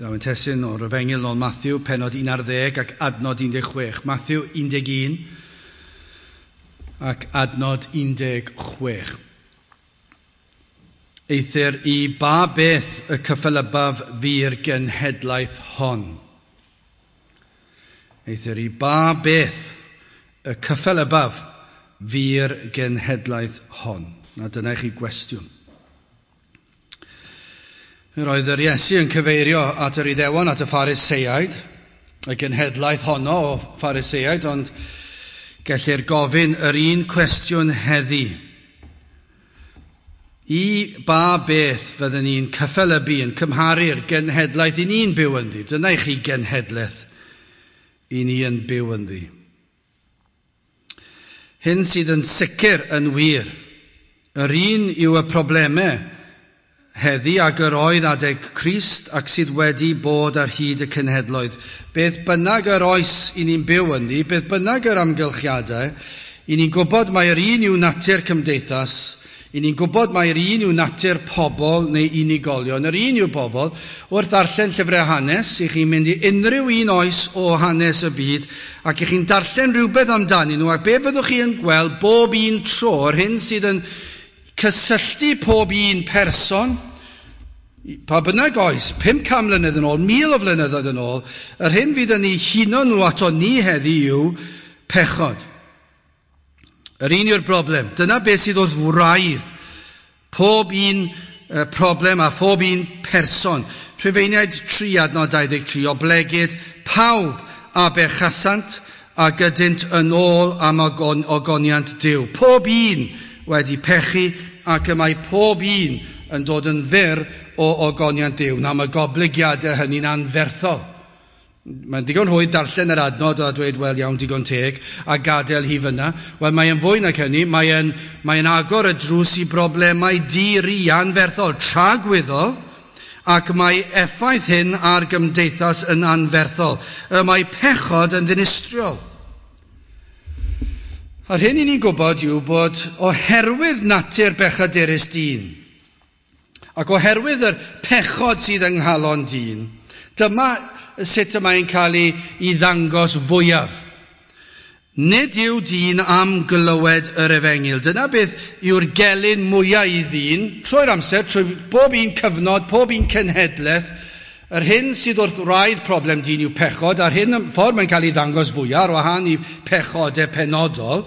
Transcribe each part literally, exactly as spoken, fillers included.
Byddaf yn testun o'r Efengyl nôl Matthew, pennod un ar ddeg ac adnod un deg chwech. Matthew un deg un ac adnod un deg chwech. Eithr i ba beth y cyffelybaf fi'r genhedlaeth hon? Eithr i ba beth y cyffelybaf fi'r genhedlaeth hon? Na dyna i chi gwestiwn. Yr oedd yr Iesu yn cyfeirio at yr Iddewon, at y Phariseaid, y genhedlaeth honno o Phariseaid, ond gellir gofyn yr un cwestiwn heddi. I ba beth fydden ni'n cyffelybu, yn cymharu'r genhedlaeth i ni'n byw ynddi? Dyna i chi genhedlaeth i ni yn byw ynddi. Hyn sydd yn sicr yn wir. Yr un yw y problemau heddi ag yr oedd adeg Crist ac sydd wedi bod ar hyd y cenhedloedd. Beth bynnag yr oes i ni'n byw ynddi, beth bynnag yr amgylchiadau, i ni'n gwybod mai'r un yw natur cymdeithas, i ni'n gwybod mai'r un yw natur pobl neu unigolion, yr un yw bobl. Wrth ddarllen llyfrau hanes, i chi'n mynd i unrhyw un oes o hanes y byd, ac i chi'n darllen rhywbeth amdanyn nhw, ac be fyddwch chi yn gweld bob un tro, yr hyn sydd yn cysylltu pob un person, pa bynnag oes, pum can mlynedd yn ôl, mil o flynyddoedd yn ôl, yr hyn fydd yn ei huno nhw ato ni heddi yw pechod. Yr un yw'r broblem. Dyna beth sydd wrth wraidd pob un problem a phob un person. Rhufeiniaid tri adnod dau ddeg tri, oblegid pawb a bechasant a gydynt yn ôl am ogon-, ogoniant Duw. Pob un wedi pechu ac y mae pob un yn dod yn fyr o ogoniant Duw. Na, mae goblygiadau hynny'n anferthol. Mae'n digon rhwydd darllen yr adnod a dweud, wel iawn, digon teg, a gadael hi fyna. Wel, mae'n fwy nag hynny, mae'n, mae'n agor y drws i broblemau di-ri anferthol, tragwyddol, ac mae effaith hyn ar gymdeithas yn anferthol. Y mae pechod yn ddinistriol. A'r hyn i ni'n gwybod yw bod oherwydd natur bechadurus dyn, ac oherwydd yr pechod sydd yng nghalon dyn, dyma sut y mae'n cael ei, ei ddangos fwyaf. Nid yw dyn am glywed yr efengyl. Dyna beth yw'r gelyn mwyaf i ddyn, trwy'r amser, trwy bob un cyfnod, pob un cenhedlaeth. Yr hyn sydd wrth wraidd problem dyn yw pechod, a'r hyn ffordd mae'n cael ei ddangos fwyaf, ar wahân i pechodau penodol,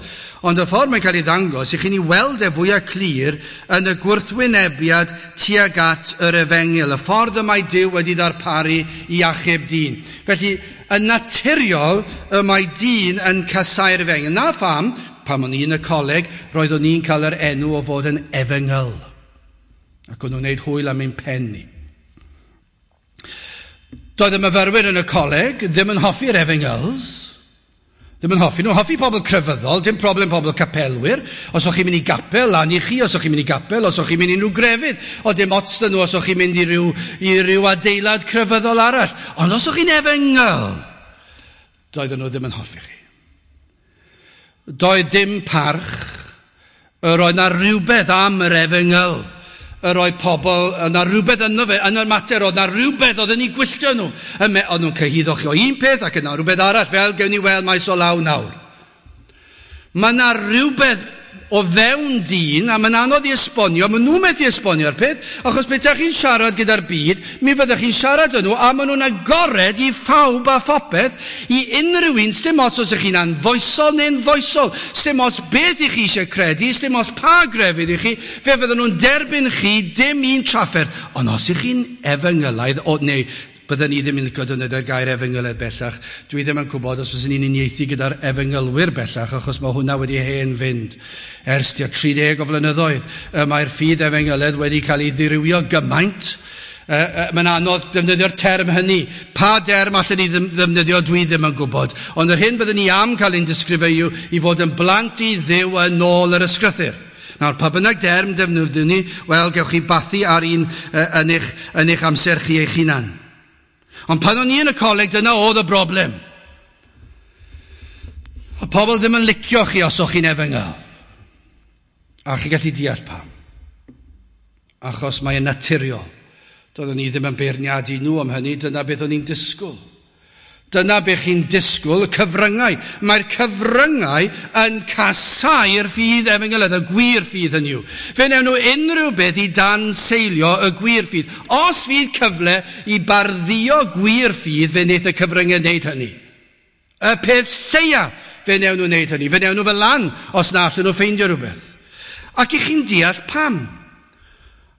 ond y ffordd mae'n cael ei ddangos, i chi'n ei weld e fwyaf clir yn y gwrthwynebiad tuag at yr efengyl, y ffordd y mae Duw wedi ddarparu i achub dyn. Felly, yn naturiol, y mae dyn yn casáu'r efengyl. Na pham, pan o'n i yn y coleg, roeddwn i'n cael yr enw o fod yn efengyl. Ac o'n nhw'n gwneud hwyl am ein pen ni. Doedd y myfyrwyr yn y coleg ddim yn hoffi'r efengyls. Ddim yn hoffi nhw. Hoffi pobl crefyddol, dim problem pobl capelwyr. Os o'ch chi'n mynd i gapel, lan i chi. Os o'ch chi'n mynd i gapel, os o'ch chi'n mynd i unrhyw grefydd. O dim ots dyn nhw os o'ch chi'n mynd i ryw, i ryw adeilad crefyddol arall. Ond os o'ch chi'n efengyl, doedden nhw ddim yn hoffi chi. Doedd dim parch. Yr oedd na rhywbeth am yr efengyl. Yr oedd pobl, yna rhywbeth yno fe, yn y mater, oedd na rhywbeth oedd yn ei gwylltio nhw. Oedd nhw'n cyhuddo chi o un peth ac yna rhywbeth arall, fel gewn ni weld maes o law nawr. Mae yna rhywbeth o fewn dyn, a mae'n anodd i esbonio, maen nhw'n methu esbonio'r peth, achos beth chi'n siarad gyda'r byd, mi fyddech chi'n siarad â nhw, a maen nhw'n agored i phawb a phopeth, i unrhyw un, sdim ots os ych chi'n anfoesol neu'n foesol, sdim ots beth i chi eisiau credu, sdim ots pa grefydd i chi, fe fydden nhw'n derbyn chi dim un trafferth. Ond os ych chi'n efengylaidd, o, neu bydden ni ddim yn licio defnyddio'r gair efengylaidd bellach. Dwi ddim yn gwybod os fyswn ni'n uniaethu gyda'r efengylwyr bellach, achos mae hwnna wedi hen fynd ers tua tri deg o flynyddoedd. Mae'r ffydd efengylaidd wedi cael ei ddirywio gymaint. Mae'n anodd defnyddio'r term hynny. Pa derm allan ni ddefnyddio, dwi ddim yn gwybod. Ond yr hyn byddwn ni am cael ein disgrifio yw i fod yn blant i Dduw yn ôl yr ysgrythur. Nawr, pa bynnag derm defnyddiwn ni, wel, gewch chi bathu ar un yn eich, yn eich amser chi eich hunan. Ond pan o'n i yn y coleg, dyna oedd y broblem. Y pobl ddim yn licio chi os o'ch chi'n efengyl. A chi gallu deall pam. Achos mae'n naturiol. Doeddwn ni ddim yn beirniadu nhw am hynny, dyna beth o'n i'n disgwyl. Dyna beth chi'n disgwyl, y cyfryngau. Mae'r cyfryngau yn casáu'r ffydd efengylaidd, y gwir ffydd hynny yw. Fe wnawn nhw unrhyw beth i danseilio y gwir ffydd. Os fydd cyfle i barddio gwir ffydd, fe wneith y cyfryngau wneud hynny. Y peth lleia, fe wnawn nhw wneud hynny. Fe wnawn nhw fel lan os na allan nhw ffeindio rhywbeth. Ac i chi'n deall pam?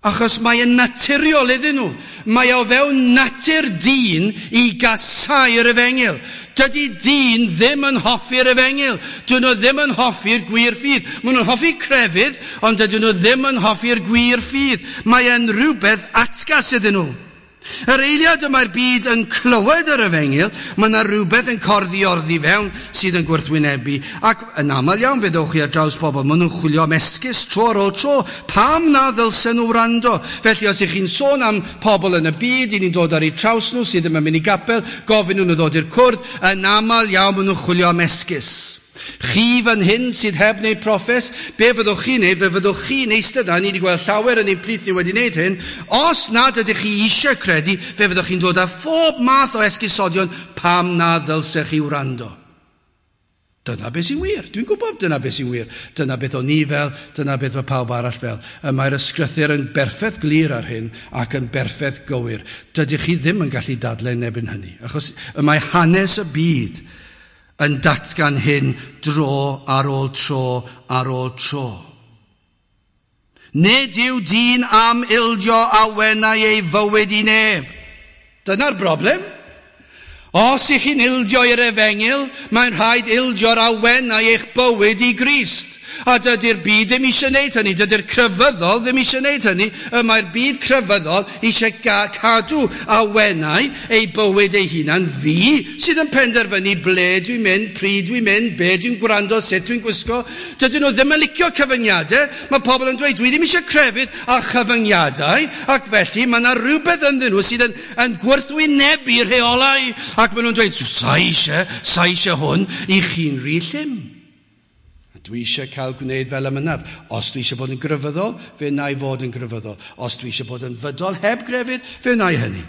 Achos mae yn naturiol iddyn nhw. Mae o fewn natur dyn i gasáu'r efengyl. Dydy dyn ddim yn hoffi'r efengyl. Dyn nhw ddim yn hoffi'r gwir ffydd. Maen nhw'n hoffi crefydd, ond dydyn nhw ddim yn hoffi'r gwir ffydd. Mae yn rhywbeth atgas iddyn nhw. Yr eiliad y mae'r byd yn clywed yr efengyl, mae yna rhywbeth yn corddi orddi fewn sydd yn gwrthwynebu. Ac yn aml iawn fe ddowch chi ar draws pobl, maen nhw'n chwilio am esgus tro ar ôl tro. Pam na ddylsen nhw wrando? Felly os ych chi'n sôn am pobl yn y byd, i ni'n dod ar eu traws nhw sydd ddim yn mynd i gapel, gofyn nhw'n ddod i'r cwrdd, yn aml iawn maen nhw'n chwilio am esgus. Chi fan hyn sydd heb wneud proffes, be fyddwch chi'n neud? Fe fyddwch chi'n eistedd yna, ni wedi gweld llawer yn ein plith ni wedi wneud hyn. Os nad ydych chi eisiau credu, fe fyddwch chi'n dod â phob math o esgusodion pam na ddylsech chi wrando. Dyna beth sy'n wir. Dwi'n gwybod dyna beth sy'n wir. Dyna beth o'n ni fel, dyna beth mae pawb arall fel. Y mae'r ysgrythur yn berffaith glir ar hyn ac yn berffaith gywir. Dydych chi ddim yn gallu dadlau neb yn hynny, achos y mae hanes y byd yn datgan hyn dro ar ôl tro ar ôl tro. Nid yw dyn am ildio awenau ei fywyd i neb. Dyna'r broblem. Os ych chi'n ildio i'r efengyl, mae'n rhaid ildio'r awenau eich bywyd i Grist. A dydy'r byd ddim eisiau gwneud hynny, dydy'r crefyddol ddim eisiau gwneud hynny. Y mae'r byd crefyddol eisiau cadw awenau ei bywyd ei hunan. Fi sydd yn penderfynu ble dwi'n mynd, pryd dwi'n mynd, be dwi'n gwrando, sut dwi'n gwisgo. Dydyn nhw ddim yn licio cyfyngiadau. Mae pobl yn dweud, dwi ddim eisiau crefydd a chyfyngiadau, ac felly mae yna rhywbeth ynddyn nhw sydd yn, yn gwrthwynebu rheolau. Ac maen nhw'n dweud, sa eisiau, sa eisiau hwn, i chi'n rhy llym. Dwi eisiau cael gwneud fel y mynaf. Os dwi eisiau bod yn grefyddol, fe wna i fod yn grefyddol. Os dwi eisiau bod yn fydol heb grefydd, fe wna i hynny.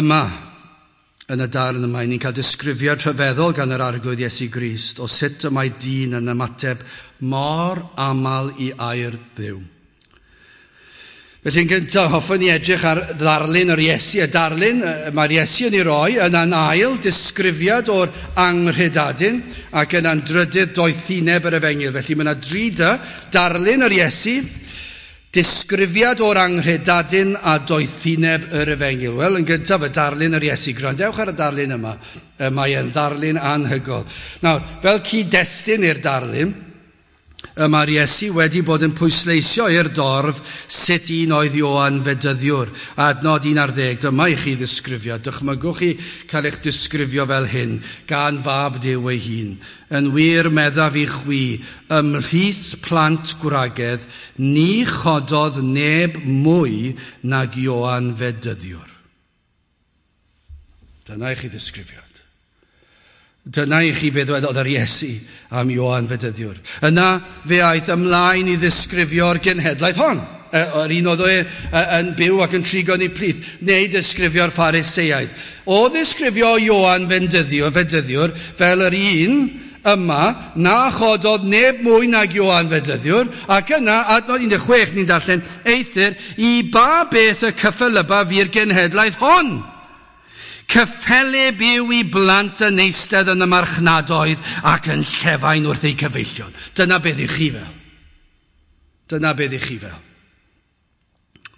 Yma, yn y darn yma, ni'n cael disgrifiad rhyfeddol gan yr Arglwydd Iesu Grist o sut y mae dyn yn ymateb mor aml i air Dduw. Felly yn gyntaf, hoffwn ni edrych ar ddarlun yr Iesu. Y darlun mae'r Iesu yn ei roi yn an ail disgrifiad o'r anghredadun ac yn an drydydd doethineb yr efengyl. Felly mae yna dri dy, darlun yr Iesu, disgrifiad o'r anghredadun a doethineb yr efengyl. Wel, yn gyntaf, y darlun yr Iesu. Gwrandewch ar y darlun yma. Mae e'n ddarlun anhygoel. Nawr, fel cyd-destun i'r darlun, y mae'r Iesu wedi bod yn pwysleisio i'r dorf sut un oedd Ioan Fedyddiwr. Adnod un ar ddeg, dyma i chi ddisgrifio. Dychmygwch chi cael eich disgrifio fel hyn, gan fab Duw ei hun. Yn wir meddaf i chwi, ymhlith plant gwragedd, ni chododd neb mwy nag Ioan Fedyddiwr. Dyna i chi ddisgrifio. Dyna i chi beth ddwedodd yr Iesu am Ioan Fedyddiwr. Yna fe aeth ymlaen i ddisgrifio'r genhedlaeth hon. Yr un oedd e yn byw ac yn trigo yn ei plith, neu disgrifio'r Phariseaid. O ddisgrifio Ioan Fedyddiwr, Fedyddiwr fel yr un yma, na chododd neb mwy nag Ioan Fedyddiwr, ac yna, adnod un deg chwech ni'n darllen, eithr i ba beth y cyffelyba fi'r genhedlaeth hon? Cyffelyb yw i blant yn eistedd yn y marchnadoedd ac yn llefain wrth eu cyfeillion. Dyna beth i chi fel. Dyna beth i chi fel.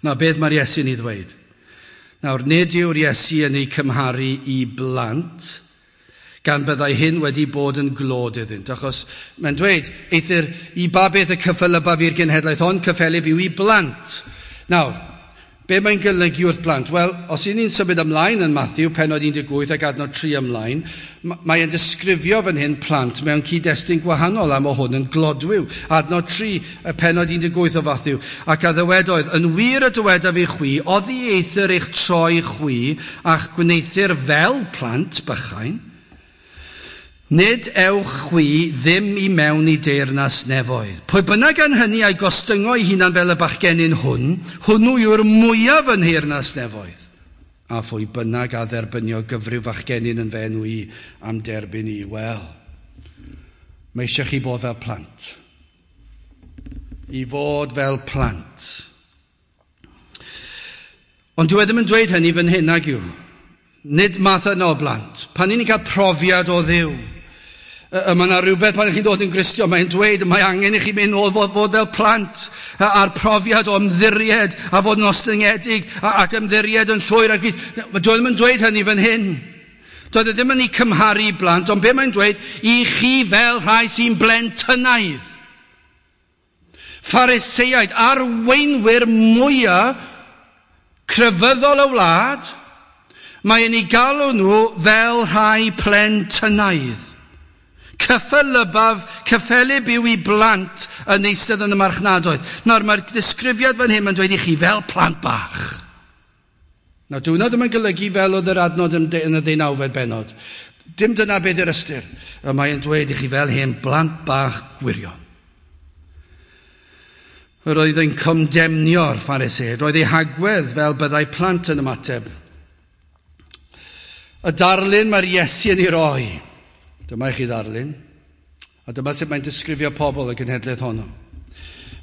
Na beth mae'r Iesu'n ei ddweud. Nawr, nid yw'r Iesu yn ei cymharu i blant, gan byddai hyn wedi bod yn glod iddynt. Achos mae'n dweud, eithr i ba beth y cyffelyba fi'r genhedlaeth hon, cyffelyb yw i blant. Nawr, be mae'n golygu wrth blant? Wel, os y'n ni'n symud ymlaen yn Matthew, pennod un deg wyth ac adnod tri ymlaen, mae'n disgrifio fan hyn plant mewn cyd-destun gwahanol am o hwn yn glodwiw. Adnod tri, y pennod un deg wyth o Matthew. Ac a ddywedoedd, yn wir y dywedaf i chwi, oddi eithr eich troi chwi a'ch gwneuthur fel plant bychain, Nid ewch chwi ddim i mewn i deyrnas nefoedd. Pwy bynnag gan hynny a'i gostyngo ei hunan fel y bachgenyn hwn, hwnnw yw'r mwyaf yn nheyrnas nefoedd. A phwy bynnag a dderbynio gyfryw fachgenyn yn fy enw i am derbyn i. Wel, mae eisiau chi bod fel plant. I fod fel plant. Ond dwi e ddim yn dweud hynny fan hyn, nag yw. Nid math yna o blant. Pan ni'n cael profiad o Dduw, mae yna rhywbeth pan chi'n dod yn Gristion, mae'n dweud mae angen i chi mynd nôl fod, fod fel plant a'r profiad o ymddiried a fod yn ostyngedig ac ymddiried yn llwyr ar Grist. Dwi ddim yn dweud hynny fan hyn. Doedd e ddim yn ei cymharu i blant, ond be mae'n dweud? I chi fel rhai sy'n blentynaidd. Phariseaid, arweinwyr mwyaf crefyddol y wlad, mae'n ei galw nhw fel rhai plentynaidd. Cyffelybaf, cyffelyb yw i blant yn eistedd yn y marchnadoedd. Nawr, mae'r disgrifiad fan hyn yn dweud i chi fel plant bach. Nawr, dyw hwnna ddim yn golygu fel oedd yr adnod yn y ddeunawfed bennod. Dim dyna beth yw'r ystyr. Mae'n dweud i chi fel hen blant bach gwirion. Yr oedd yn condemnio'r Phariseaid. Roedd ei hagwedd fel byddai plant yn ymateb. Y darlun mae'r Iesu yn ei roi. Dyma i chi ddarlun. A dyma sut mae'n disgrifio pobl y genhedlaeth honno.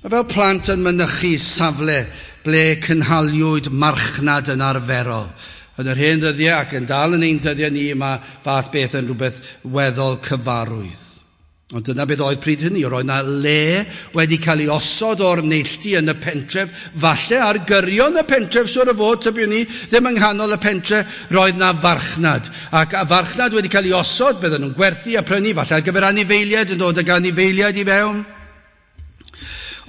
Mae fel plant yn mynychu safle ble cynhaliwyd marchnad yn arferol. Yn yr hen ddyddiau ac yn dal yn ein dyddiau ni, mae fath beth yn rhywbeth weddol cyfarwydd. Ond dyna beth oedd pryd hynny, roedd yna le wedi cael ei osod o'r neilltu yn y pentref, falle ar gyrion y pentref, siŵr o fod, tybiwn ni, ddim yng nghanol y pentre, roedd yna farchnad. Ac a farchnad wedi cael ei osod, bydden nhw'n gwerthu a prynu, falle ar gyfer anifeiliaid yn dod ag anifeiliaid i fewn.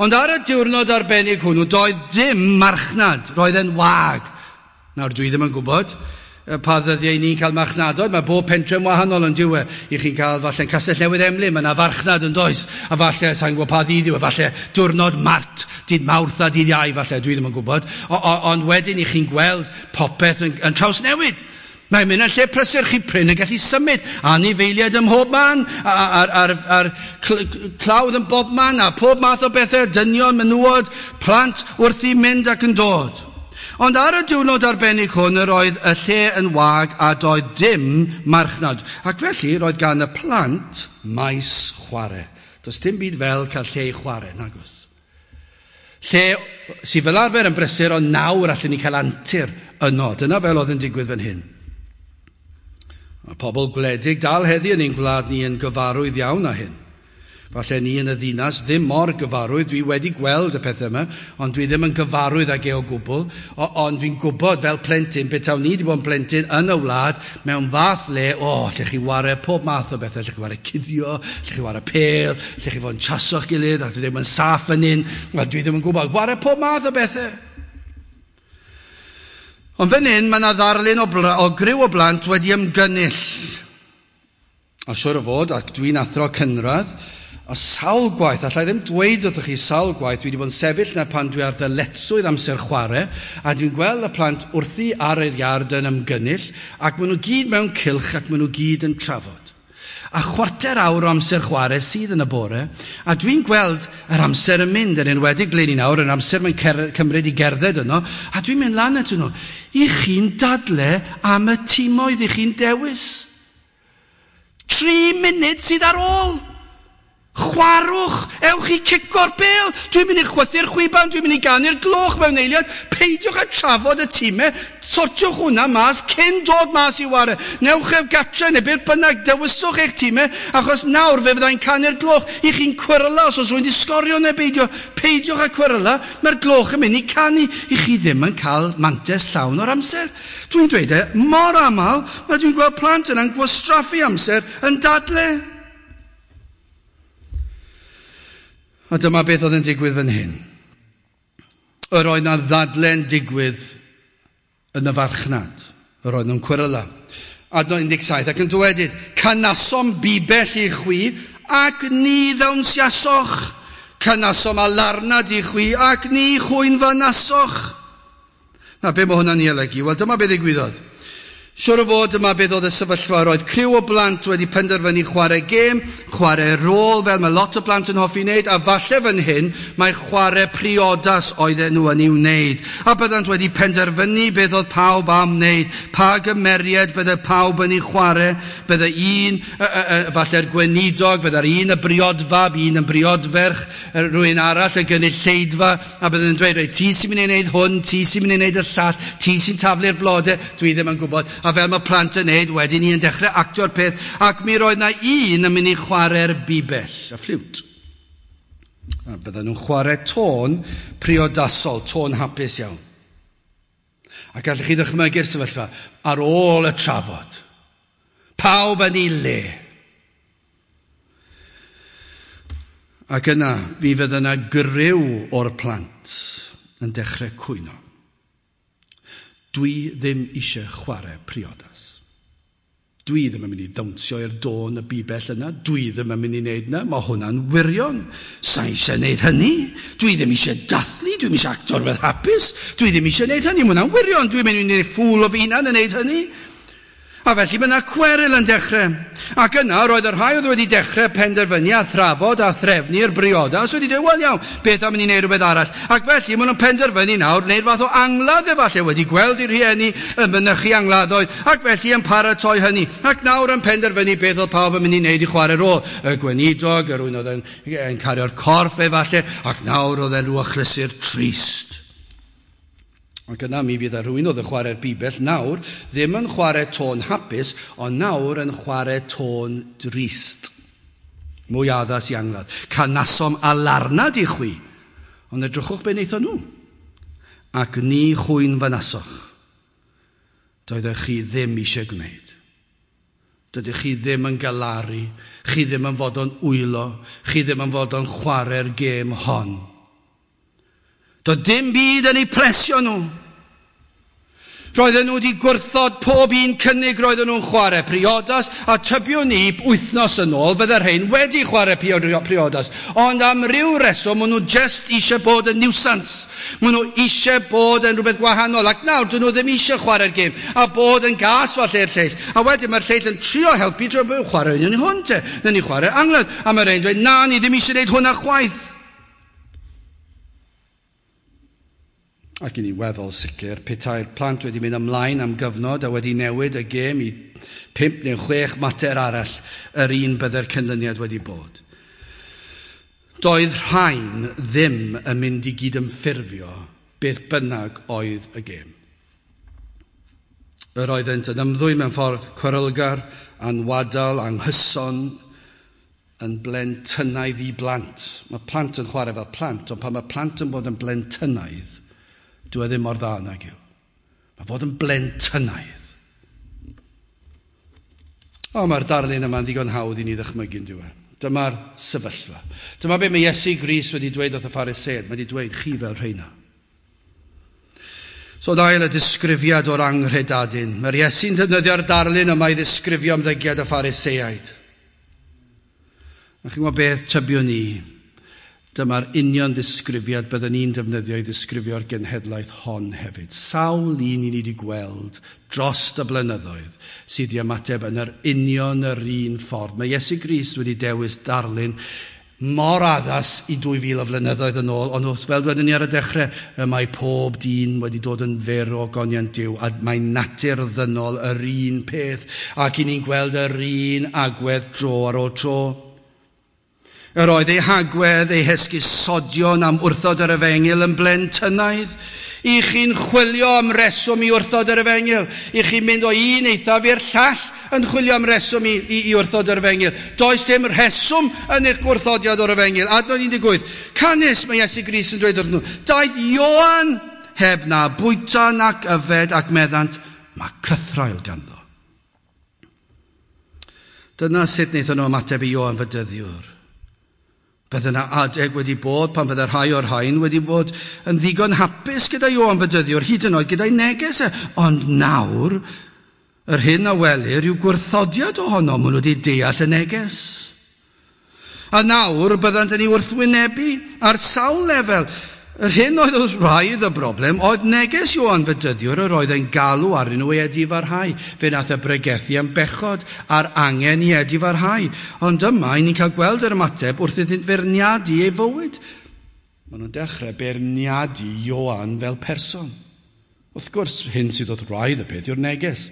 Ond ar y diwrnod arbennig hwnnw, doedd dim marchnad, roedd e'n wag. Nawr, dwi ddim yn gwybod pa ddyddiau ni'n cael marchnadoedd. Mae bob pentre'n wahanol yn dyw e. I chi'n cael falle'n Castell Newydd Emlyn, mae yna farchnad yn does. A falle, sa'n gwybod pa ddydd yw e, falle diwrnod Mart, dydd Mawrth a dydd Iau, falle, dwi ddim yn gwybod. O, o, ond wedyn i chi'n gweld popeth yn, yn trawsnewid. Mae'n mynd yn lle prysur, chi prin yn gallu symud. Anifeiliaid ym mhob man, a'r, ar, ar clawdd yn bob man, a pob math o bethau, dynion, menywod, plant wrth i mynd ac yn dod. Ond ar y diwrnod arbennig hwn, yr oedd y lle yn wag a doedd dim marchnad. Ac felly, roedd gan y plant maes chwarae. Does dim byd fel cael lle i chwarae, nagos. Lle sydd fel arfer yn brysur, ond nawr allan ni cael antur yno. Dyna fel oedd yn digwydd fan hyn. Mae pobl gwledig dal heddi yn ein gwlad ni yn gyfarwydd iawn â hyn. Falle ni yn y ddinas ddim mor gyfarwydd, dwi wedi gweld y pethau yma, ond dwi ddim yn gyfarwydd ag e o gwbl, o, ond dwi'n gwybod fel plentyn, betawn ni wedi bod yn plentyn yn y wlad, mewn fath le, o, oh, lle chi ware pob math o bethau, lle chi ware cuddio, lle chi ware pêl, lle chi fod yn chaso'ch gilydd, ac dwi ddim yn saff yn un, wel, dwi ddim yn gwybod, ware pob math o bethau. Ond fan hyn, mae yna ddarlun o, bla, o griw o blant wedi ymgynnull. A siŵr o fod, ac dwi'n athro cynradd, a sawl gwaith, allai ddim dweud wrthych chi sawl gwaith, dwi wedi bod yn sefyll na pan dwi ar ddyletswydd amser chwarae, a dwi'n gweld y plant wrthi ar yr iard yn ymgynnull, ac maen nhw gyd mewn cylch ac maen nhw gyd yn trafod. A chwarter awr o amser chwarae sydd yn y bore, a dwi'n gweld yr amser yn mynd, yn enwedig ble ni nawr, yr amser mae'n cymryd i gerdded yno, a dwi'n mynd lan atyn nhw. I chi'n dadle am y timoedd i chi'n dewis. Tri munud sydd ar ôl. Chwarwch, ewch i cico'r bêl. Dwi'n mynd i chwythu'r chwiban, dwi'n mynd i ganu'r gloch mewn eiliad. Peidiwch â trafod y tîmau, sortiwch hwnna mas cyn dod mas i ware. Newch ef gatre neu beth bynnag, dewiswch eich tîmau, achos nawr fe fyddai'n canu'r gloch. I chi'n cweryla os oes rhywun wedi sgorio neu beidio. Peidiwch â cweryla, mae'r gloch yn mynd i canu. I chi ddim yn cael mantais llawn o'r amser. Dwi'n dweud e, mor aml, mae dwi'n gweld plant yna'n gwastraffu amser yn dadle. A dyma beth oedd yn digwydd fan hyn. Yr oedd na ddadle'n digwydd yn y farchnad. Yr oedd nhw'n cweryla. Adnod un deg saith, ac yn dywedyd, canasom bibell i chwi ac ni ddawnsiasoch. Canasom alarnad i chwi ac ni chwynfynasoch. Na, be mae hwnna'n ei olygu? Wel, dyma beth ddigwyddodd. Siwr o fod yma beth oedd y sefyllfa. Roedd criw o blant wedi penderfynu chwarae gêm, chwarae rôl fel mae lot o blant yn hoffi wneud, a falle fan hyn mae chwarae priodas oedden nhw yn ei wneud. A byddant wedi penderfynu beth oedd pawb am wneud, pa gymeriad bydde pawb yn ei chwarae, bydde un, falle'r gweinidog, bydde'r un y briodfab, un yn briodferch, rhywun arall y gynulleidfa, a bydden nhw'n dweud, reit, ti sy'n mynd i wneud hwn, ti sy'n mynd i wneud y llall, ti sy'n taflu'r blodau, dwi ddim yn gwybod. A fel mae plant yn neud, wedyn ni yn dechrau actio'r peth, ac mi roedd na un yn mynd i chwarae'r bibell, y ffliwt. A bydden nhw'n chwarae tôn priodasol, tôn hapus iawn. A gallech chi ddychmygu'r sefyllfa ar ôl y trafod. Pawb yn ei le. Ac yna, mi fydde yna griw o'r plant yn dechrau cwyno. Dwi ddim eisiau chwarae priodas. Dwi ddim yn mynd i ddawnsio i'r dôn y bibell yna. Dwi ddim yn mynd i wneud yna. Mae hwnna'n wirion. Sa eisiau wneud hynny. Dwi ddim eisiau dathlu. Dwi ddim eisiau actor fel hapus. Dwi ddim eisiau wneud hynny. Mae hwnna'n wirion. Dwi'n mynd i wneud ffŵl o fy hunan yn wneud hynny. A felly mae yna cweryl yn dechrau. Ac yna roedd y rhai oedd wedi dechrau penderfynu a thrafod a threfnu'r briodas wedi dweud, wel iawn, beth am i ni wneud rhywbeth arall? Ac felly maen nhw'n penderfynu nawr wneud fath o angladd efallai, wedi gweld eu rhieni yn mynychu angladdoedd, ac felly yn paratoi hynny. Ac nawr yn penderfynu beth oedd pawb yn mynd i wneud i chwarae rôl. Y gweinidog, yr un oedd yn, yn cario'r corff efallai, ac nawr oedd e'n rhyw achlysur trist. Ac yna mi fydd rhywun oedd yn chwarae'r bibell nawr ddim yn chwarae tôn hapus, ond nawr yn chwarae tôn drist. Mwy addas i angladd. Canasom alarnad i chwi, ond edrychwch be wnaethon nhw. Ac ni chwyn fynasoch. Doeddech chi ddim eisiau gwneud. Dydych chi ddim yn galaru, chi ddim yn fod o'n wylo, chi ddim yn fod o'n chwarae'r gêm hon. Doedd dim byd yn eu plesio nhw. Roedden nhw wedi gwrthod pob un cynnig roedden nhw'n chwarae priodas, a tybiwn ni wythnos yn ôl fydde'r rhain wedi chwarae priodas. Ond am ryw reswm, maen nhw just eisiau bod yn nuisance. Maen nhw eisiau bod yn rhywbeth gwahanol, ac nawr dyn nhw ddim eisiau chwarae'r gêm, a bod yn gas falle'r lleill. A wedyn mae'r lleill yn trio helpu drwy chwarae un hwn te. Nawn ni chwarae angladd. A mae'r rhain dweud, na, ni ddim eisiau gwneud hwnna chwaith. Ac i ni weddol sicr, petai'r plant wedi mynd ymlaen am gyfnod a wedi newid y gêm i pump neu chwech mater arall, yr un bydde'r canlyniad wedi bod. Doedd rhain ddim yn mynd i gydymffurfio beth bynnag oedd y gêm. Yr oeddent yn ymddwyn mewn ffordd cwerylgar, anwadal, anghyson, yn blentynaidd i blant. Mae plant yn chwarae fel plant, ond pan mae plant yn bod yn blentynaidd, dwi e ddim mor dda nag yw. Mae fod yn blentynaidd. O, mae'r darlun yma'n ddigon hawdd i ni ddychmygu'n diwedd. Dyma'r sefyllfa. Dyma be mae Iesu Grist wedi dweud wrth y Phariseaid. Mae wedi dweud, chi fel rheina. So dail y disgrifiad o'r anghredadun. Mae'r Iesu'n defnyddio'r darlun yma i ddisgrifio ymddygiad y Phariseaid. A chi'n gwybod beth tybiwn ni? Dyma'r union ddisgrifiad byddwn ni'n defnyddio i ddisgrifio'r genhedlaeth hon hefyd. Sawl un i ni wedi gweld dros y blynyddoedd sydd i ymateb yn yr union yr un ffordd. Mae Iesu Grist wedi dewis darlun mor addas i dwy fil o flynyddoedd yn ôl, ond wrth fel dwedwn ni ar y dechrau, y mae pob dyn wedi dod yn fyr o goniant Duw, a mae natur ddynol yr un peth, ac i ni'n gweld yr un agwedd dro ar ôl tro. Yr oedd ei hagwedd, ei hesgusodion am wrthod yr efengyl yn blentynaidd. I chi'n chwilio am reswm i wrthod yr efengyl. I chi'n mynd o un eithaf i'r llall yn chwilio am reswm i, i, i wrthod yr efengyl. Does dim rheswm yn eich gwrthodiad o'r efengyl. Adnod un deg wyth. Canys mae Iesu Grist yn dweud wrthyn nhw, daeth Ioan heb na bwyta nac yfed ac meddant, mae cythraul ganddo. Dyna sut wnaethon nhw ymateb i Ioan Fedyddiwr. Bydde yna adeg wedi bod pan fydde rhai o'r rhain wedi bod yn ddigon hapus gyda Ioan Fedyddiwr, hyd yn oed gyda'i neges e. Ond nawr, yr hyn a welir yw gwrthodiad ohono, maen nhw wedi deall y neges. A nawr byddant yn ei wrthwynebu ar sawl lefel. Yr hyn oedd wrth wraidd y broblem oedd neges Ioan Fedyddiwr yr oedd e'n galw arnyn nhw i edifarhau. Fe nath e bregethu am bechod a'r angen i edifarhau. Ond yma, i ni'n cael gweld yr ymateb wrth iddynt feirniadu ei fywyd. Maen nhw'n dechrau beirniadu Ioan fel person. Wrth gwrs, hyn sydd wrth wraidd y peth yw'r neges.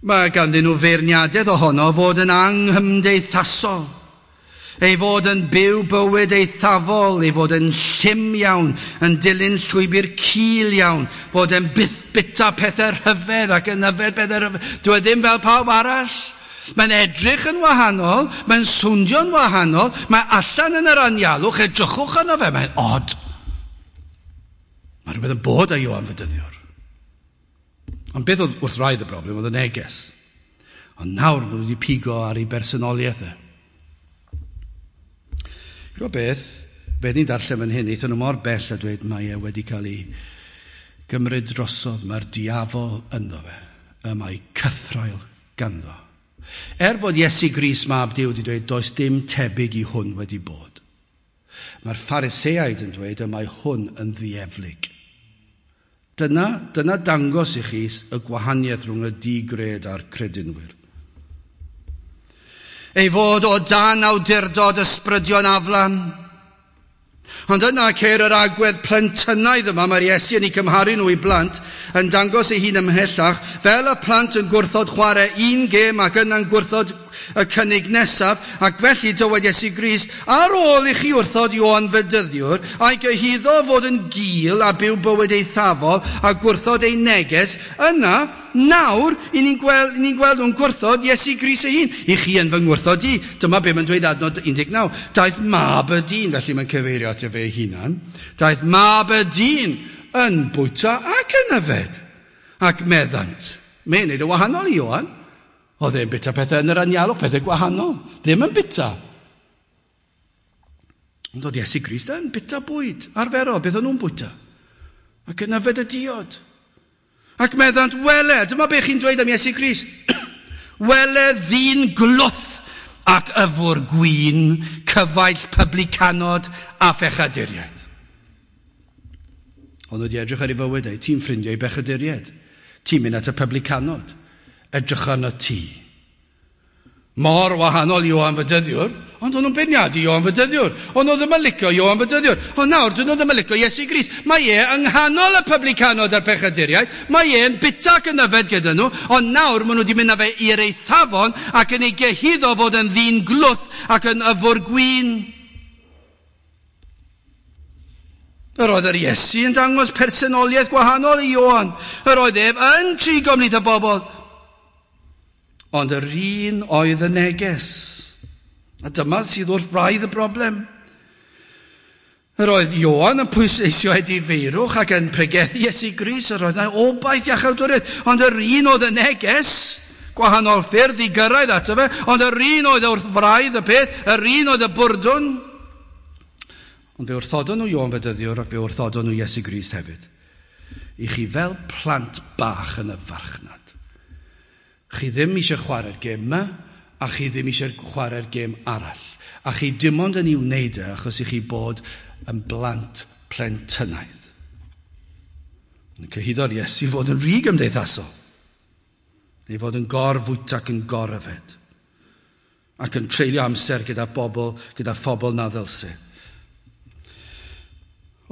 Mae ganddyn nhw feirniadaeth ohono fod yn anghymdeithasol. Ei fod yn byw bywyd eithafol, ei fod yn llym iawn, yn dilyn llwybr cul iawn, fod yn byth bita pethau rhyfedd ac yn yfed pethau rhyfedd. Dyw e ddim fel pawb arall. Mae'n edrych yn wahanol, mae'n swndio'n wahanol, mae allan yn yr anialwch, edrychwch arno fe, mae'n odd. Mae rhywbeth yn bod â Ioan Fedyddiwr. Ond beth oedd wrth wraidd y broblem oedd y neges. Ond nawr maen nhw wedi pigo ar ei bersonoliaeth e. Gwybod beth, beth ni'n darllen fan hyn, aethon nhw mor bell a dweud mae e wedi cael ei gymryd drosodd, mae'r diafol ynddo fe, y mae cythraul ganddo. Er bod Iesu Grist mab Duw wedi dweud does dim tebyg i hwn wedi bod. Mae'r Phariseaid yn dweud y mae hwn yn ddieflig. Dyna, dyna dangos i chi y gwahaniaeth rhwng y digred a'r credinwyr. Ei fod o dan awdurdod ysbrydion aflan. Ond yna ceir yr agwedd plentynaidd yma, mae'r Iesu yn ei cymharu nhw i blant, yn dangos ei hun ymhellach, fel y plant yn gwrthod chwarae un gêm ac yna'n gwrthod y cynnig nesaf, ac felly dywed Iesu Grist, ar ôl i chi wrthod Ioan Fedyddiwr, a'i gyhuddo fod yn gul a byw bywyd eithafol a gwrthod ei neges, yna, nawr, i ni'n gweld, ni'n gweld nhw'n gwrthod Iesu Grist ei hun. I chi yn fy ngwrthod i. Dyma be mae'n dweud adnod un deg naw. Daeth mab y dyn, felly mae'n cyfeirio ato fe ei hunan. Daeth mab y dyn yn bwyta ac yn yfed. Ac meddant. Mae'n neud y wahanol i Ioan. Oedd e'n bita pethau yn yr anialwch, pethau gwahanol. Ddim yn bita. Ond oedd Iesu Grist yn bita bwyd arferol, beth o'n nhw'n bwyta. Ac yn yfed y diod. Ac meddant, wele, dyma be chi'n dweud am Iesu Grist. Wele ddyn glwth ac yfwr gwin, cyfaill publicanod a phechaduriaid. Ond wedi edrych ar ei fywyd e, ti'n ffrindiau i bechaduriaid. Ti'n mynd at y publicanod. Edrych arno ti. Mor wahanol i Ioan Fedyddiwr, ond o'n nhw'n beirniadu Ioan Fedyddiwr. Ond nhw ddim yn licio Ioan Fedyddiwr. Ond nawr, dyn nhw ddim yn licio Iesu Grist. Mae e yng nghanol y publicanod a'r pechaduriaid. Mae e'n bita ac yn yfed gyda nhw. Ond nawr, maen nhw wedi mynd â fe i'r eithafon ac yn ei gyhuddo fod yn ddyn glwth ac yn yfwr gwin. Yr oedd yr Iesu yn dangos personoliaeth gwahanol i Ioan. Yr oedd ef yn trigo ymhlith y bobl. Ond yr un oedd y neges. A dyma sydd wrth wraidd y broblem. Yr oedd Ioan yn pwysleisio edifeirwch ac yn pregethu Iesu Grist. Yr oedd yna obaith iachawdwriaeth. Ond yr un oedd y neges, gwahanol ffyrdd i gyrraedd ato fe, ond yr un oedd wrth wraidd y peth, yr un oedd y bwrdwn. Ond fe wrthodon nhw Ioan Fedyddiwr ac fe wrthodon nhw Iesu Grist hefyd. I chi fel plant bach yn y farchnad. Chi ddim eisiau chwarae'r gêm yma, a chi ddim eisiau chwarae'r gêm arall. A chi dim ond yn ei wneud e achos i chi bod yn blant plentynaidd. Yn cyhuddo'r Iesu fod yn rhy gymdeithasol. Neu fod yn gorfwyta ac yn goryfed. Ac yn treulio amser gyda bobl, gyda phobl na ddylse.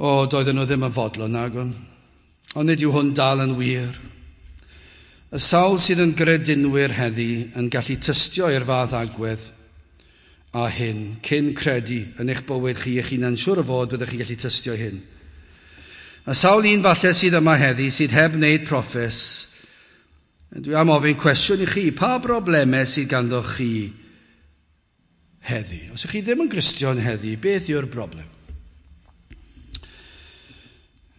O, doedden nhw ddim yn fodlon nagon. Ond nid yw hwn dal yn wir. Y sawl sydd yn gredinwyr heddi yn gallu tystio i'r fath agwedd a hyn, cyn credu yn eich bywyd chi eich hunan, siŵr o fod byddwch chi'n gallu tystio hyn. Y sawl un falle sydd yma heddi sydd heb wneud proffes, dwi am ofyn cwestiwn i chi, pa broblemau sydd ganddo chi heddi? Os ydych chi ddim yn Gristion heddi, beth yw'r broblem?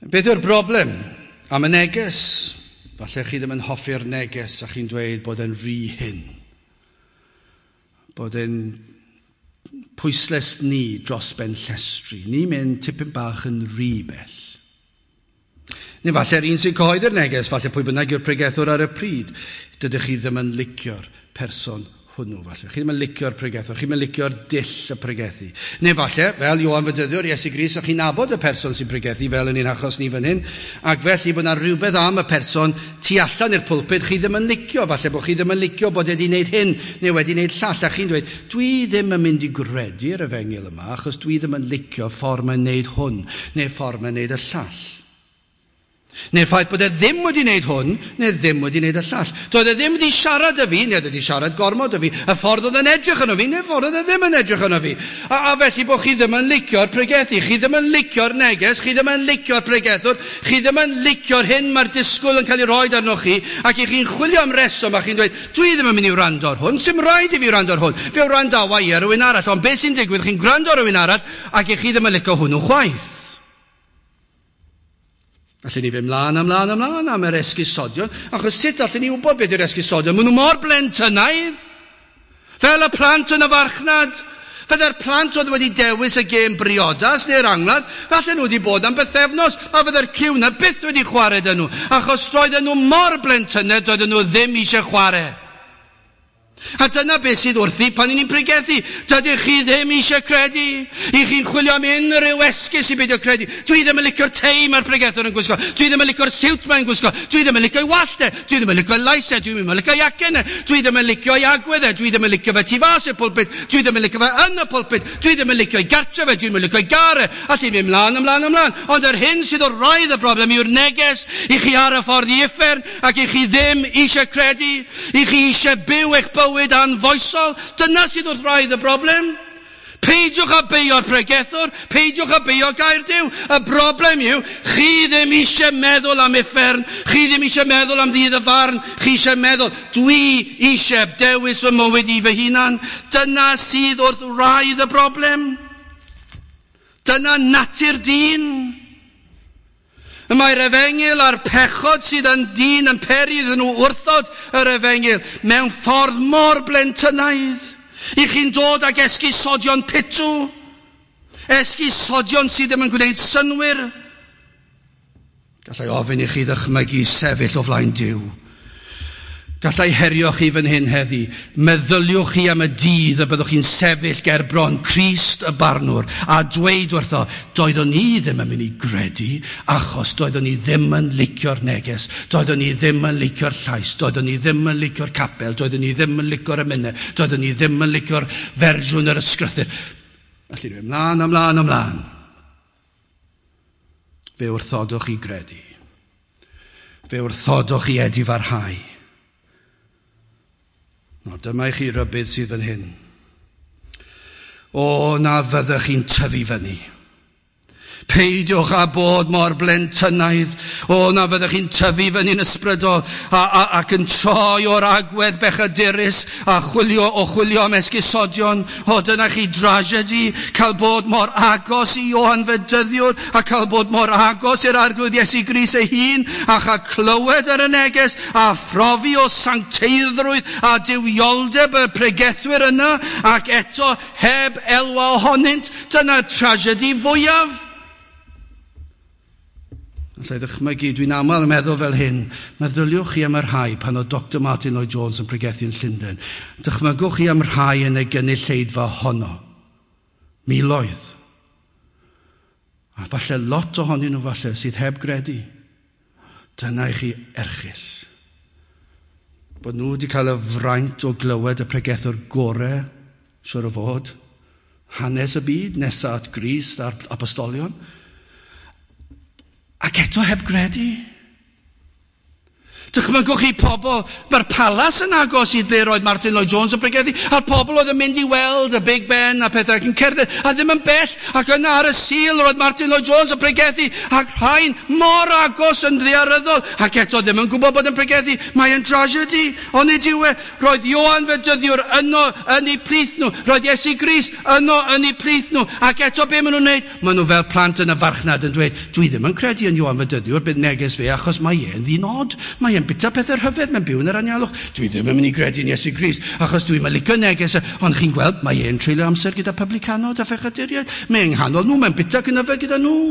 Beth yw'r broblem am y neges? Falle chi ddim yn hoffi'r neges a chi'n dweud bod e'n rhy hyn. Bod e'n pwysles ni dros ben llestri. Ni'n mynd tipyn bach yn rhy bell. Neu falle'r un sy'n cyhoeddi'r neges, falle pwy bynnag yw'r pregethwr ar y pryd. Dydych chi ddim yn licio'r person hwnnw falle. Chi ddim yn licio'r pregethwr, chi ddim yn licio'r dull y pregethu. Neu falle, fel Ioan Fedyddiwr, Iesu Grist, a chi'n nabod y person sy'n pregethu fel yn un achos ni fan hyn, ac felly bod yna rhywbeth am y person tu allan i'r pulpit chi ddim yn licio, falle bod chi ddim yn licio bod wedi wneud hyn neu wedi wneud llall, a chi'n dweud, dwi ddim yn mynd i gredu'r efengyl yma, achos dwi ddim yn licio ffordd mae'n wneud hwn, neu ffordd mae'n wneud y llall. Neu'r ffaith bod e ddim wedi wneud hwn, neu ddim wedi wneud y llall. Doedd e ddim wedi siarad â fi, neu wedi siarad gormod â fi. Y ffordd oedd yn edrych arno fi, neu'r ffordd oedd e ddim yn edrych arno fi. A, a felly bod chi ddim yn licio'r pregethu, chi ddim yn licio'r neges, chi ddim yn licio'r pregethwr, chi ddim yn licio'r hyn mae'r disgwyl yn cael ei roi arnoch chi, ac i chi'n chwilio am reswm a chi'n dweud, dwi ddim yn mynd i wrando ar hwn, sy'm rhaid i fi wrando ar hwn. Fe wrandawa i ar rhywun arall, ond beth sy'n digwydd, chi'n gwrando ar rhywun arall, ac i chi ddim yn licio hwnnw chwaith. Allen ni fynd mlaen, ymlaen, ymlaen am yr esgusodion, achos sut allen ni wybod beth yw'r esgusodion? Maen nhw mor blentynaidd, fel y plant yn y farchnad. Fydde'r plant oedd wedi dewis y gêm briodas neu'r angladd, falle nhw wedi bod am bythefnos, a fydde'r ciw na byth wedi chwarae dyn nhw, achos roedden nhw mor blentynaidd, doedden nhw ddim eisiau chwarae. A dyna beth sydd wrthi pan ni'n pregethu. Dydych chi ddim eisiau credu. I chi'n chwilio am unrhyw esgus i beidio credu. Dwi ddim yn licio'r tei mae'r pregethwr yn gwisgo. Dwi ddim yn licio'r siwt mae'n gwisgo. Dwi ddim yn licio'i wallt e. Dwi ddim yn licio'i lais e. Dwi ddim yn licio'i acen e. Dwi ddim yn licio'i agwedd e. Dwi ddim yn licio fe tu fas i'r pulpit. Dwi ddim yn licio fe yn y pulpit. Dwi ddim yn licio'i gartre fe. Dwi ddim yn licio'i gar e. A ti'n mynd mlaen, ymlaen, ymlaen. Ond yr hyn sydd o'r wraidd y broblem yw'r neges i chi ar y ffordd i uffern ac i chi ddim eisiau credu. I chi eisiau byw eich bywyd anfoesol. Dyna sydd wrth wraidd y broblem. Peidiwch â beio'r pregethwr, peidiwch â beio gair Duw. Y broblem yw, chi ddim eisiau meddwl am uffern, chi ddim eisiau meddwl am ddydd y farn, chi eisiau meddwl, dwi eisiau dewis fy mywyd i fy hunan. Dyna sydd wrth wraidd y broblem. Dyna natur dyn. Y mae'r efengyl a'r pechod sydd yn dyn yn peri iddyn nhw wrthod yr efengyl mewn ffordd mor blentynaidd. I chi'n dod ag esgusodion pitw, esgusodion sydd ddim yn gwneud synnwyr. Gallai ofyn i chi ddychmygu sefyll o flaen Duw. Gallai herio chi fan hyn heddi. Meddyliwch chi am y dydd y byddwch chi'n sefyll ger bron Crist y barnwr a dweud wrtho, doeddwn ni ddim yn mynd i gredu achos doeddwn ni ddim yn licio'r neges, doeddwn ni ddim yn licio'r llais, doeddwn ni ddim yn licio'r capel, doeddwn ni ddim yn licio'r emynau, doeddwn ni ddim yn licio'r fersiwn yr ysgrythur. Felly ni ymlaen, ymlaen, ymlaen. Fe wrthodwch i gredu. Fe wrthodwch i edifarhau. No, dyma i chi rybudd sydd fan hyn. O, na fyddech chi'n tyfu fyny. Peidiwch â bod mor blentynaidd. O, na fyddech chi'n tyfu fyny'n ysbrydol a, a, ac yn troi o'r agwedd bechadurus a chwilio o chwilio am esgusodion. O, dyna chi dragedy, cael bod mor agos i Ioan Fedyddiwr a cael bod mor agos i'r Arglwydd Iesu Grist ei hun a chael clywed ar y neges a phrofi o sancteiddrwydd a duwioldeb y pregethwyr yna ac eto heb elwa ohonynt. Dyna tragedy fwyaf. Allai ddychmygu, dwi'n aml yn meddwl fel hyn, meddyliwch chi am y rhai pan oedd Doctor Martin Lloyd Jones yn pregethu yn Llundain. Dychmygwch chi am rhai yn y gynulleidfa honno. Miloedd. A falle lot ohonyn nhw falle sydd heb gredu. Dyna i chi erchyll. Bod nhw wedi cael y fraint o glywed y pregethwr gore, siwr o fod, hanes y byd, nesa at Grist a'r apostolion. Ac eto heb gredu. Dychmygwch chi pobl, mae'r palas yn agos i ble roedd Martin Lloyd Jones yn pregethu, a'r pobl oedd yn mynd i weld y Big Ben a pethau ac yn cerdded, a ddim yn bell, ac yna ar y Sul roedd Martin Lloyd Jones yn pregethu, ac rhain mor agos yn ddaearyddol, ac eto ddim yn gwybod bod yn pregethu, mae'n tragedy, ond nid yw e. Roedd Ioan Fedyddiwr yno yn eu plith nhw, roedd Iesu Grist yno yn eu plith nhw, ac eto be maen nhw'n wneud? Maen nhw fel plant yn y farchnad yn dweud, dwi ddim yn credu yn Ioan Fedyddiwr, bydd neges fe, achos mae e'n ddyn od, mae e'n bita pethau rhyfedd, mae'n byw yn yr anialwch. Dwi ddim yn mynd i gredu yn Iesu Grist, achos dwi'n licio neges. Ond chi'n gweld, mae e'n treulio amser gyda publicanod a phechaduriaid. Mae e'n nghanol nhw, mae'n bita ac yn yfed gyda nhw.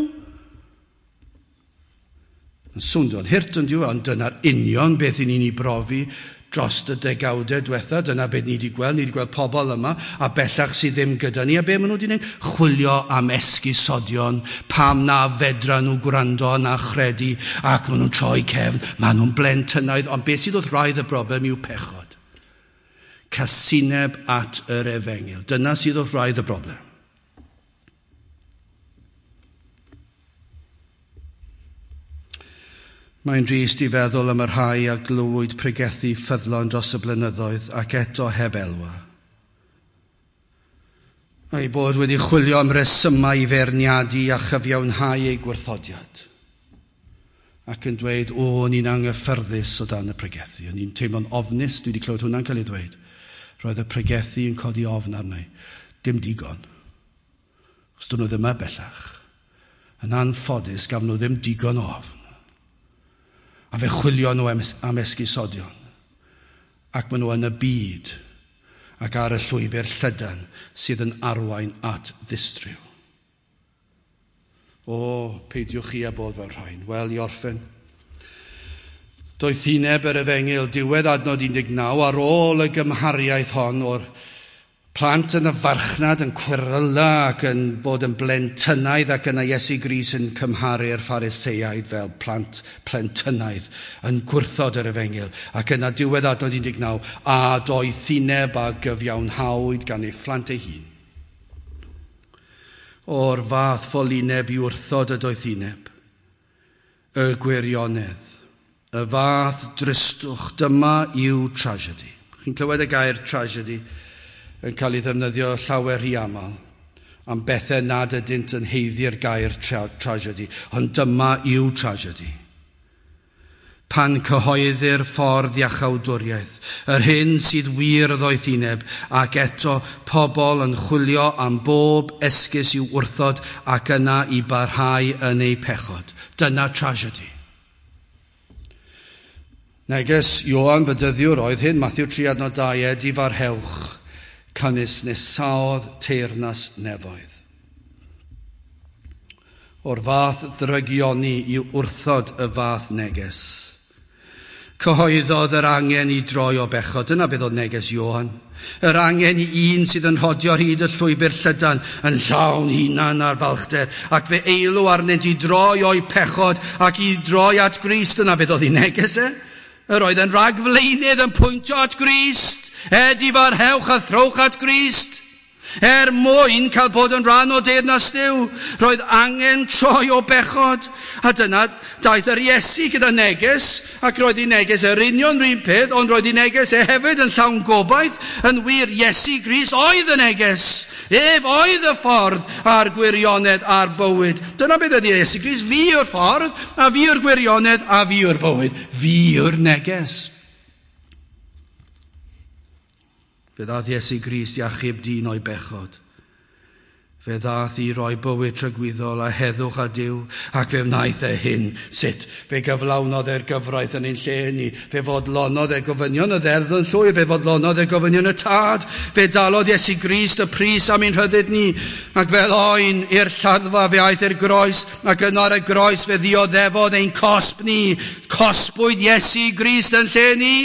Yn swnio'n hurt yn dyw, ond dyna'r union beth i ni'n ei brofi Dros y degawdau diwetha, dyna beth ni wedi gweld, ni wedi gweld pobl yma, a bellach sydd ddim gyda ni, a be maen nhw wedi gwneud? Chwilio am esgusodion, pam na fedra nhw gwrando na chredu, ac maen nhw'n troi cefn, maen nhw'n blentynaidd, ond beth sydd wrth wraidd y broblem yw pechod. Casineb at yr efengyl. Dyna sydd wrth wraidd y broblem. Mae'n drist i feddwl am y rhai a glywyd pregethu ffyddlon dros y blynyddoedd ac eto heb elwa. A'i bod wedi chwilio am resymau i feirniadu a chyfiawnhau eu gwrthodiad. Ac yn dweud, o, o'n i'n anghyffyrddus o dan y pregethu. O'n i'n teimlo'n ofnus, dwi wedi clywed hwnna'n cael ei ddweud. Roedd y pregethu yn codi ofn arna i. Dim digon. Chos dyn nhw ddim yma bellach. Yn anffodus, gafon nhw ddim digon o ofn. A fe chwilio nhw am, am esgusodion. Ac maen nhw yn y byd ac ar y llwybr llydan sydd yn arwain at ddistryw. O, peidiwch chi â bod fel rhain. Wel, i orffen. Doethineb yr efengyl, diwedd adnod un deg naw, ar ôl y gymhariaeth hon o'r plant yn y farchnad yn cweryla ac yn bod yn blentynaidd, ac yna Iesu Grist yn cymharu'r Phariseaid fel plant plentynaidd yn gwrthod yr efengyl. Ac yna diwedd adnod un deg naw, a doethineb a gyfiawnhawyd gan ei phlant ei hun. O'r fath ffolineb i wrthod y doethineb, y gwirionedd, y fath dristwch, dyma yw tragedy. Chi'n clywed y gair tragedy yn cael ei ddefnyddio llawer rhy aml am bethau nad ydynt yn haeddu'r gair tra tragedy, ond dyma yw tragedy. Pan cyhoeddir ffordd iachawdwriaeth, yr hyn sydd wir y ddoethineb, ac eto pobl yn chwilio am bob esgus i'w wrthod ac yna i barhau yn eu pechod. Dyna tragedy. Neges Ioan Fedyddiwr oedd hyn, Mathew tri adnod dau, edifarhewch, canys nesaodd teyrnas nefoedd. O'r fath ddrygioni i wrthod y fath neges. Cyhoeddodd yr angen i droi o bechod. Dyna beth oedd neges Ioan. Yr angen i un sydd yn rhodio ar hyd y llwybr llydan yn llawn hunan a'r falchder, ac fe eilw arnynt i droi o'i pechod ac i droi at Grist. Dyna beth oedd ei neges e. Yr oedd yn rhagflaenydd yn pwyntio at Grist. Edifarhewch a throwch at Grist. Er mwyn cael bod yn rhan o deyrnas Duw, roedd angen troi o bechod. A dyna daeth yr Iesu gyda neges, ac roedd ei neges yr union run peth, ond roedd ei neges e hefyd yn llawn gobaith. Yn wir, Iesu Grist oedd y neges. Ef oedd y ffordd a'r gwirionedd a'r bywyd. Dyna beth ydy Iesu Grist. Fi yw'r ffordd, a fi yw'r gwirionedd, a fi yw'r bywyd. Fi yw'r neges. Fe ddaeth Iesu Grist i achub dyn o'i bechod. Fe ddaeth i roi bywyd tragwyddol a heddwch a Duw, ac fe wnaeth e hyn. Sut? Fe gyflawnodd e'r gyfraith yn ein lle ni. Fe fodlonodd e gofynion y ddeddf yn llwyr. Fe fodlonodd e gofynion y tad. Fe dalodd Iesu Grist y pris am ein rhyddid ni. Ac fel oen i'r lladdfa fe aeth i'r groes, ac yno ar y groes fe ddioddefodd ein cosb ni. Cosbwyd Iesu Grist yn lle ni.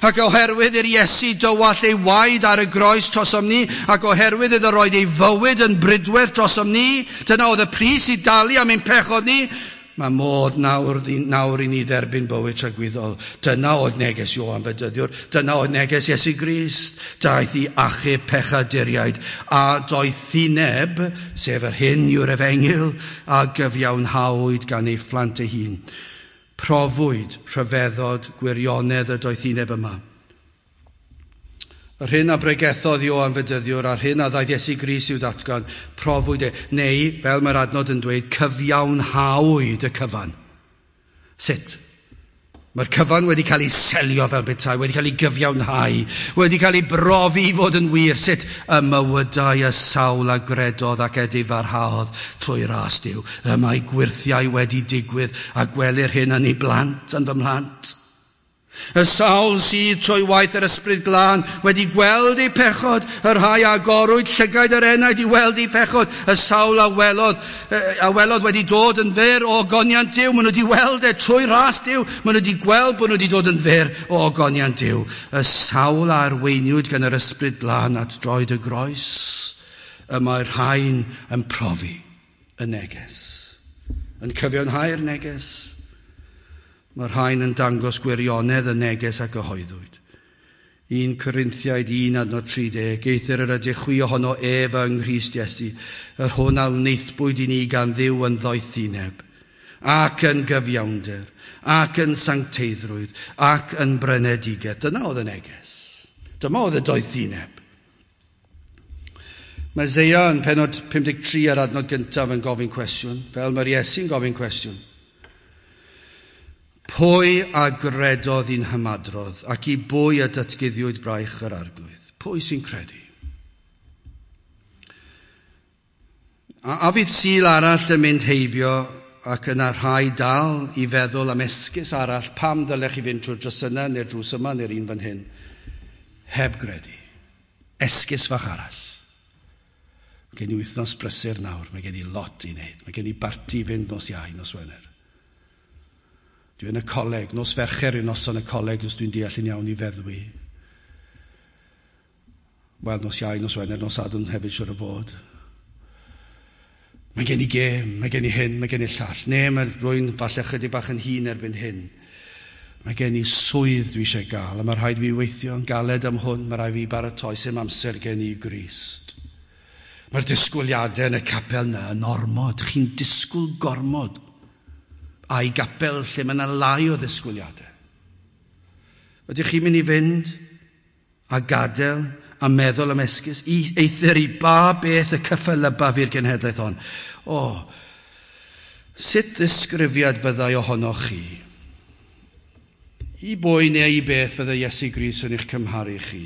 Ac oherwydd i'r Iesu dywallt ei waed ar y groes trosom ni, ac oherwydd iddo roed ei fywyd yn bridwerth drosom ni, dyna oedd y pris i dalu am ein pechod ni, mae modd nawr, nawr i ni dderbyn bywyd tragwyddol. Dyna oedd neges Ioan Fedyddiwr, dyna oedd neges Iesu Grist. Daeth i achub pechaduriaid, a doethineb, sef yr hyn yw'r efengyl, a gyfiawnhawyd gan ei phlant ei hun. Profwyd rhyfeddod gwirionedd y doethineb yma. Yr hyn a bregethodd Ioan Fedyddiwr a'r hyn a ddaeth Iesu Grist i'w ddatgan, profwyd e, neu, fel mae'r adnod yn dweud, cyfiawnhawyd y cyfan. Sut? Mae'r cyfan wedi cael ei selio fel petai, wedi cael ei gyfiawnhau, wedi cael ei brofi i fod yn wir. Sut? Y mywydau y sawl a gredodd ac edifarhaodd trwy ras Duw. Y mae gwyrthiau wedi digwydd a gwelir hyn yn ei blant, yn fy mhlant. Y sawl sydd trwy waith yr Ysbryd Glân wedi gweld eu pechod, y rhai agorwyd llygaid yr enaid i weld eu pechod, y sawl a welodd, a welodd wedi dod yn fyr o ogoniant Duw. Maen nhw wedi weld e trwy ras Duw, maen nhw wedi gweld bod nhw wedi dod yn fyr o ogoniant Duw. Y sawl a arweiniwyd gan yr Ysbryd Glân at droed y groes, y mae'r rhain yn profi y neges, yn cyfiawnhau'r neges. Mae'r rhain yn dangos gwirionedd y neges a gyhoeddwyd. Un Corinthiaid un adnod tri deg, eithr yr ydych chwi ohono ef yng Nghrist Iesu, yr hwn a wnaethpwyd i ni gan Dduw yn ddoethineb, ac yn gyfiawnder, ac yn sancteiddrwydd, ac yn brynedigaeth. Dyna oedd y neges. Dyma oedd y doethineb. Mae Eseia yn pennod pum deg tri ar adnod gyntaf yn gofyn cwestiwn, fel mae'r Iesu'n gofyn cwestiwn. Pwy a gredodd i'n hymadrodd ac i bwy a datguddiwyd braich yr Arglwydd? Pwy sy'n credu? A, a fydd Sul arall yn mynd heibio ac yna rhai dal i feddwl am esgus arall pam ddylech chi fynd trwy'r drws yna neu'r drws yma neu'r un fan hyn, heb gredu. Esgus fach arall. Mae gen i wythnos brysur nawr, mae gen i lot i wneud, mae gen i barti i fynd nos Iau, nos Wener. Dwi yn y coleg, nos Fercher yw noson y coleg, os dwi'n deall yn iawn i feddwi. Wel, nos Iau, nos Wener, nos Sadwrn hefyd siwr o fod. Mae gen i gêm, mae gen i hyn, mae gen i llall. Ne, mae rwy'n falle chydig bach yn hŷn erbyn hyn. Mae gen i swydd dwi eisiau gael, a mae rhaid fi weithio yn galed am hwn, mae rhaid fi baratoi sy'n amser gen i Grist. Mae'r disgwyliadau yn y capel yna yn ormod, chi'n disgwyl gormod. A'i gapel lle mae yna lai o ddisgwyliadau. Ydych chi'n mynd i fynd a gadael a meddwl am esgus? I, eithr i ba beth y cyffelyba fi'r genhedlaeth hon? O, sut ddisgrifiad byddai ohonoch chi? I bwy neu i beth fyddai Iesu Grist yn eich cymharu chi?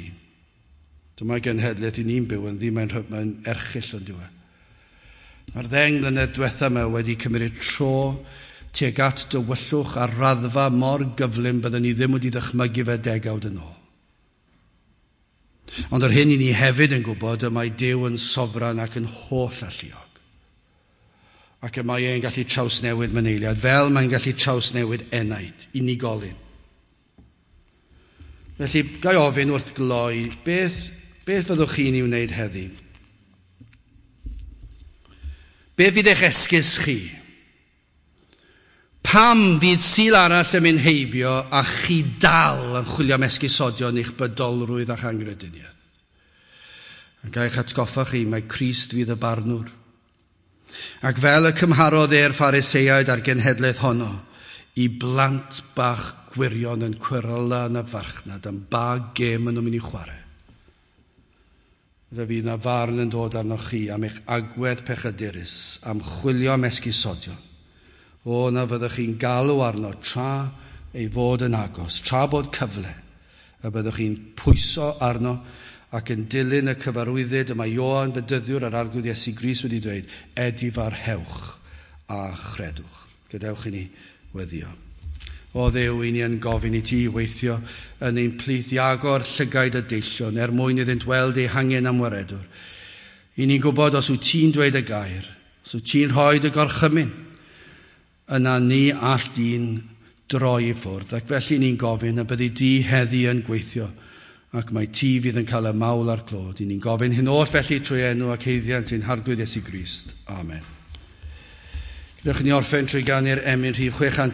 Dyma genhedlaeth i ni'n byw ynddi, mae'n mae erchyll yn diwedd. Mae'r ddeng mlynedd diwetha yma wedi cymryd tro tuag at dywyllwch ar raddfa mor gyflym byddwn ni ddim wedi dychmygu fe degawd yn ôl. Ond yr hyn i ni hefyd yn gwybod y mae Duw yn sofran ac yn holl alluog. Ac y mae e'n gallu trawsnewid myneiliad, fel mae'n gallu trawsnewid enaid, unigolyn. Felly, ga i ofyn wrth gloi, beth, beth fyddwch chi'n ei wneud heddi? Be fydd eich esgus chi? Pam fydd Sul arall yn mynd heibio a chi dal yn chwilio am esgusodion eich bydolrwydd a'ch angrediniaeth? Ac eich atgoffa chi, mae Crist fydd y barnwr. Ac fel y cymharodd e'r Phariseaid a'r genhedlaeth honno, i blant bach gwirion yn cweryla yn y farchnad am ba gêm maen nhw'n mynd i chwarae. Fe fydd na farn yn dod arnoch chi am eich agwedd pechadurus, am chwilio am esgusodion. O, na fyddwch chi'n galw arno tra ei fod yn agos, tra bod cyfle, y byddwch chi'n pwyso arno ac yn dilyn y cyfarwyddyd y mae Ioan Fedyddiwr a'r Arglwydd Iesu Grist wedi dweud, edifarhewch a chredwch. Gadewch i ni weddio. O Dduw, i ni yn gofyn i ti weithio yn ein plith i agor llygaid y deillion er mwyn iddynt weld eu hangen am waredwr. I ni'n gwybod os wyt ti'n dweud y gair, os wyt ti'n rhoi dy gorchymyn, yna ni all dyn droi i ffwrdd. Ac felly ni'n gofyn y byddi di heddi yn gweithio, ac mae ti fydd yn cael y mawl a'r clod. I ni'n gofyn hyn oll felly trwy enw ac haeddiant ein Harglwydd Iesu Grist. Amen. Gadewch i ni orffen trwy ganu'r emyn rhif chwe chant